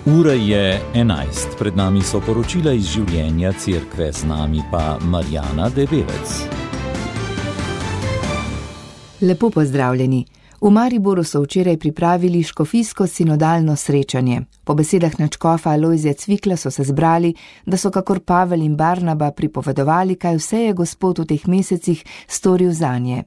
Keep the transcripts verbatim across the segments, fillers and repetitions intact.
Ura je enajst, pred nami so poročila iz življenja cerkve, z nami pa Marjana Debevec. Lepo pozdravljeni. V Mariboru so včeraj pripravili škofijsko sinodalno srečanje. Po besedah nadškofa Alojzija Cvikla so se zbrali, da so kakor Pavel in Barnaba pripovedovali, kaj vse je Gospod v teh mesecih storil zanje.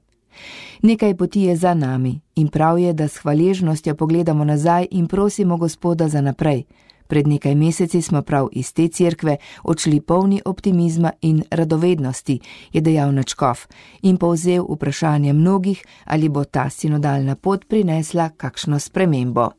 Nekaj poti je za nami in prav je, da s hvaležnostjo pogledamo nazaj in prosimo Gospoda za naprej. Pred nekaj meseci smo prav iz te cerkve odšli polni optimizma in radovednosti, je dejal nadškof in povzel vprašanje mnogih, ali bo ta sinodalna pot prinesla kakšno spremembo.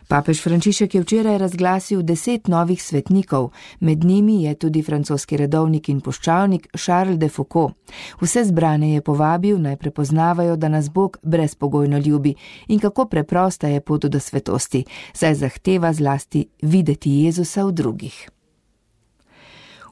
Papež Frančišek je včeraj razglasil deset novih svetnikov, med njimi je tudi francoski redovnik in puščavnik Charles de Foucault. Vse zbrane je povabil, naj prepoznavajo, da nas Bog brezpogojno ljubi in kako preprosta je pot do svetosti, saj zahteva zlasti videti Jezusa v drugih.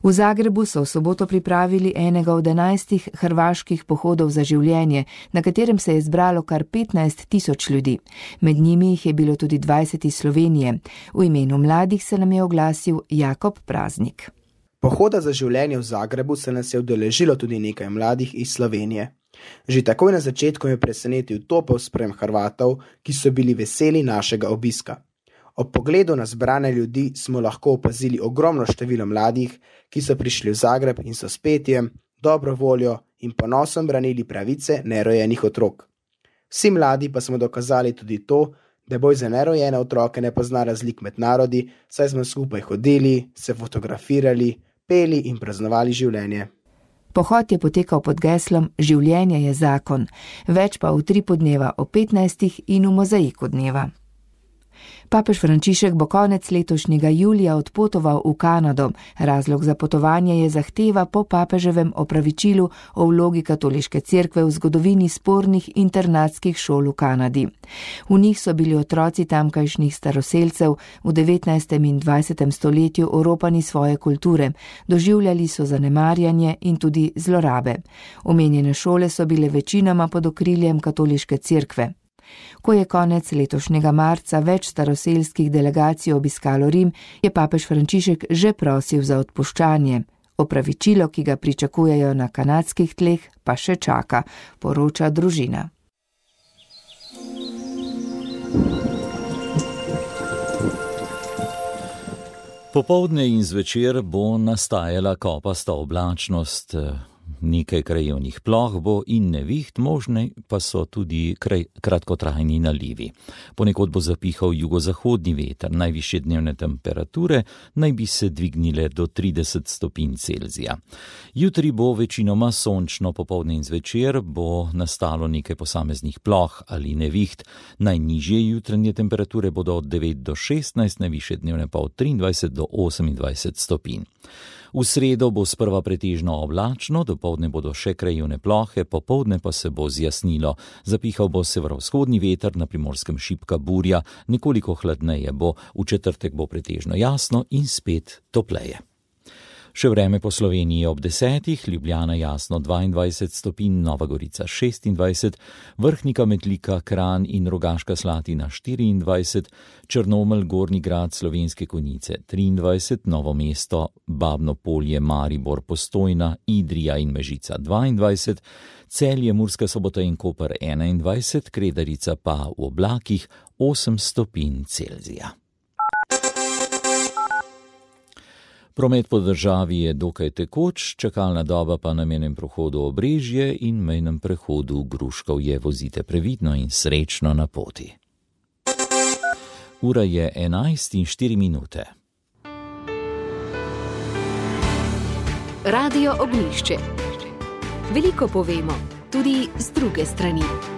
V Zagrebu so v soboto pripravili enega od enajstih hrvaških pohodov za življenje, na katerem se je zbralo kar petnajst tisoč ljudi. Med njimi jih je bilo tudi dvajset iz Slovenije. V imenu mladih se nam je oglasil Jakob Praznik. Pohoda za življenje v Zagrebu se nas je udeležilo tudi nekaj mladih iz Slovenije. Že takoj na začetku je presenetil topel sprejem Hrvatov, ki so bili veseli našega obiska. Ob pogledu na zbrane ljudi smo lahko opazili ogromno število mladih, ki so prišli v Zagreb in so s petjem, dobro voljo in ponosom branili pravice nerojenih otrok. Vsi mladi pa smo dokazali tudi to, da boj za nerojene otroke ne pozna razlik med narodi, saj smo skupaj hodili, se fotografirali, peli in praznovali življenje. Pohod je potekal pod geslom Življenje je zakon, več pa v tripu dneva o petnajstih in v mozaiku dneva. Papež Frančišek bo konec letošnjega julija odpotoval v Kanado. Razlog za potovanje je zahteva po papeževem opravičilu o vlogi katoliške cerkve v zgodovini spornih internatskih šol v Kanadi. V njih so bili otroci tamkajšnjih staroselcev v devetnajstem in dvajsetem stoletju oropani svoje kulture, doživljali so zanemarjanje in tudi zlorabe. Omenjene šole so bile večinoma pod okriljem katoliške cerkve. Ko je konec letošnjega marca več staroselskih delegacij obiskalo Rim, je papež Frančišek že prosil za odpuščanje. Opravičilo, ki ga pričakujejo na kanadskih tleh, pa še čaka, poroča družina. Popoldne in zvečer bo nastajala kopasta oblačnost. Nekaj krajevnih ploh bo in neviht, možne pa so tudi kraj, kratkotrajni nalivi. Ponekod bo zapihal jugozahodni veter, najvišje dnevne temperature naj bi se dvignile do trideset stopinj Celzija. Jutri bo večinoma sončno, popoldne in zvečer bo nastalo nekaj posameznih ploh ali neviht. Najnižje jutranje temperature bodo od devet do šestnajst, najvišje dnevne pa od triindvajset do osemindvajset stopinj. V sredo bo sprva pretežno oblačno, dopoldne bodo še krajevne plohe, popoldne pa se bo zjasnilo. Zapihal bo severovzhodni veter, na Primorskem šibka burja, nekoliko hladneje bo, v četrtek bo pretežno jasno in spet topleje. Še vreme po Sloveniji ob desetih, Ljubljana jasno dvaindvajset stopinj, Nova Gorica šestindvajset, Vrhnika, Metlika, Kranj in Rogaška Slatina štiriindvajset, Črnomelj, Gornji Grad, Slovenske Konjice triindvajset, Novo mesto, Babno Polje, Maribor, Postojna, Idrija in Mežica dvaindvajset, Celje, Murska Sobota in Koper enaindvajset, Kredarica pa v oblakih osem stopinj Celzija. Promet po državi je dokaj tekoč, čakalna doba pa na mejnem prehodu Obrežje in mejnem prehodu Gruškovje. Vozite previdno in srečno na poti. Ura je enajst in štiri minute. Radio Ognjišče. Veliko povemo, tudi z druge strani.